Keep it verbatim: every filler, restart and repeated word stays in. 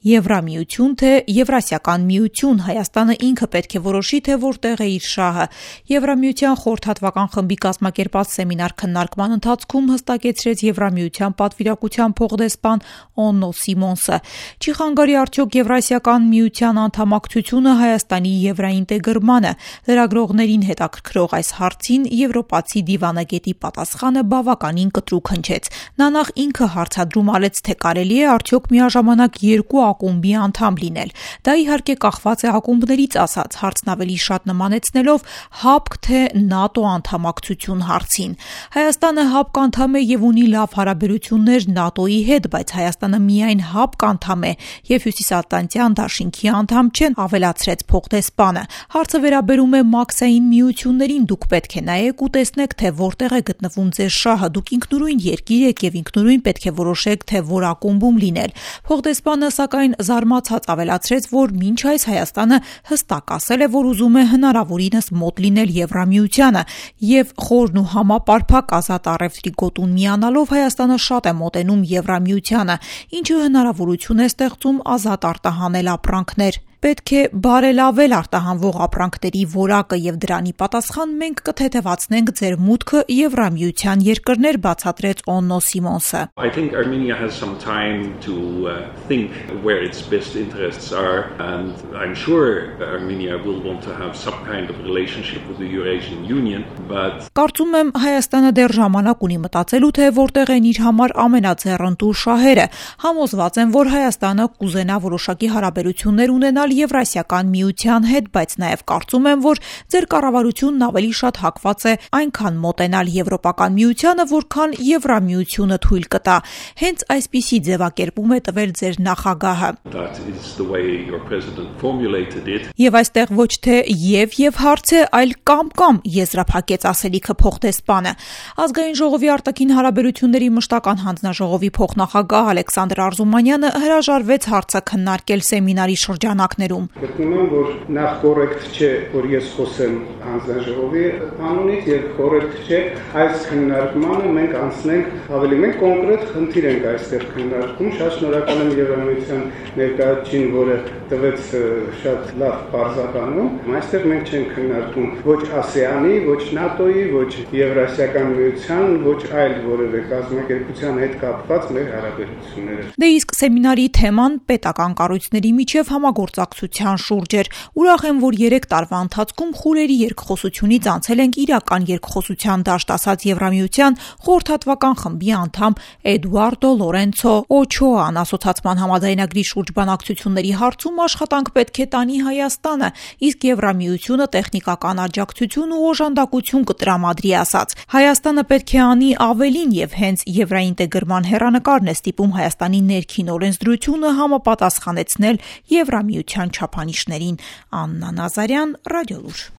Եվրամիություն թե Եվրասիական միություն, Հայաստանը ինքը պետք է որոշի, թե որտեղ է իր շահը։ Եվրամիության խորհրդատվական խմբի կազմակերպած սեմինար քննարկման ընթացքում հստակեցրեց Եվրամիության պատվիրակության փոխդեսպան Օննո Սիմոնսը։ Չի խանգարի արդյոք Եվրասիական միության անդամակցությունը Հայաստանի եվրաինտեգրմանը։ Լրագրողներին հետաքրքրող այս հարցին եվրոպացի դիվանագետի պատասխանը բավականին կտրուկ հնչեց։ Նա նախ ինքը հարցադրում արեց, թե կարելի է արդյոք միաժամանակ երկու ակումբի անդամ լինել։ Դա իհարկե կախված է ակումբներից ասած, հարցն ավելի շատ նմանեցնելով ՀԱՊԿ թե ՆԱՏՕ անդամակցություն հարցին։ Հայաստանը ՀԱՊԿ անդամ է եւ ունի լավ հարաբերություններ ՆԱՏՕ-ի հետ, բայց Հայաստանը միայն ՀԱՊԿ անդամ է եւ Հյուսիսատլանտյան դաշինքի անդամ չեն, ավելացրեց փոխդեսպանը։ Հարցը վերաբերում է մաքսային միություններին, դուք պետք է նայեք ու տեսնեք, թե որտեղ է գտնվում ձեր շահը, դուք ինքնուրույն երկիր եք եւ ինքնուրույն պետք է որոշեք, թե որ ակումբում լինել։ Փոխդեսպանը սակայն զարմացած ավելացրեց, որ մինչ այս Հայաստանը հստակ ասել է, որ ուզում է հնարավորինս մոտ լինել Եվրամիությանը եւ խորն ու համապարփակ ազատ առևտրի գոտուն միանալով Հայաստանը շատ է մոտենում Եվրամիությանը, ինչը հնարավորություն է ստեղծում ազատ արտահանել ապրանքներ։ Պետք է բարելավել արտահանվող ապրանքների որակը եւ դրանի պատասխան մենք կթեթևացնենք ձեր մուտքը Եվրամիության երկրներ, բացատրեց Օննո Սիմոնսը։ I think Armenia has some time to uh, think where its best interests are, and I'm sure Armenia will want to have some kind of relationship with the Eurasian Union, but Կարծում եմ Հայաստանը դեռ ժամանակ ունի մտածելու, թե որտեղ են իր համար ամենաձեռնտու շահերը։ Համոզված եմ, որ Հայաստանը կուզենա որոշակի հարաբերություններ ունենալ Եվրասիական միության հետ, բայց նաև կարծում եմ, որ ձեր կառավարությունն ավելի շատ հակված է այնքան մոտենալ Եվրոպական միությանը, որքան Եվրամիությունը թույլ կտա։ Հենց այսպիսի ձևակերպում է տվել ձեր նախագահը։ Եվ այստեղ ոչ թե եւ եւ հարց է, այլ կամ կամ եզրափակեց ասելիքը փոխդեսպանը։ Ազգային ժողովի արտաքին հարաբերությունների մշտական հանձնաժողովի փոխնախագահ Ալեքսանդր Արզումանյանը հրաժարվեց հարցը քննարկել սեմինարի շրջանակներում։ Գտնում եմ, որ նախ կոռեկտ չէ, որ ես խոսեմ հանձնաժողովի անունից, եւ կոռեկտ չէ այս քննարկմանը մենք անցնենք ավելի մեկ կոնկրետ խնդիր ենք այստեղ քննարկում։ Շատ շնորհակալ եմ Եվրամիության ներկայացուցին, որը տվեց շատ լավ բարձրականում։ Այստեղ մենք չենք քննարկում ոչ ԱՍԵԱՆ-ի, ոչ ՆԱՏՕ-ի, ոչ Եվրասիական միության, ոչ այլ որևէ կազմակերպության հետ կապված մեր հարաբերությունները։ Դե իսկ սեմինարի թեման պետական կառույցների միջև համագործակցության շուրջ էր։ Ուրախ եմ, որ երեք տարվա ընթացքում խորերի երկխոսությունից անցել ենք իրական երկխոսության դաշտ, ասաց Եվրամիության խորհրդատվական խմբի անդամ Էդուարդո Լորենցո Օչոան։ Ասոցիացիան համաձայնագրի շուրջ բանակցությունների հարցում աշխատանք պետք է տանի Հայաստանը, իսկ Եվրամիությունը տեխնիկական աջակցություն ու օժանդակություն կտրամադրի, ասաց։ Հայաստանը պետք է անի ավելին եւ հենց եվրաինտեգրման հեռանկարն է ստիպում Հայաստանի ներքին օրենսդրությունը համապատասխանեցնել Եվրամիության չափանիշներին։ Աննա Նազարյան, Ռադիոլուր։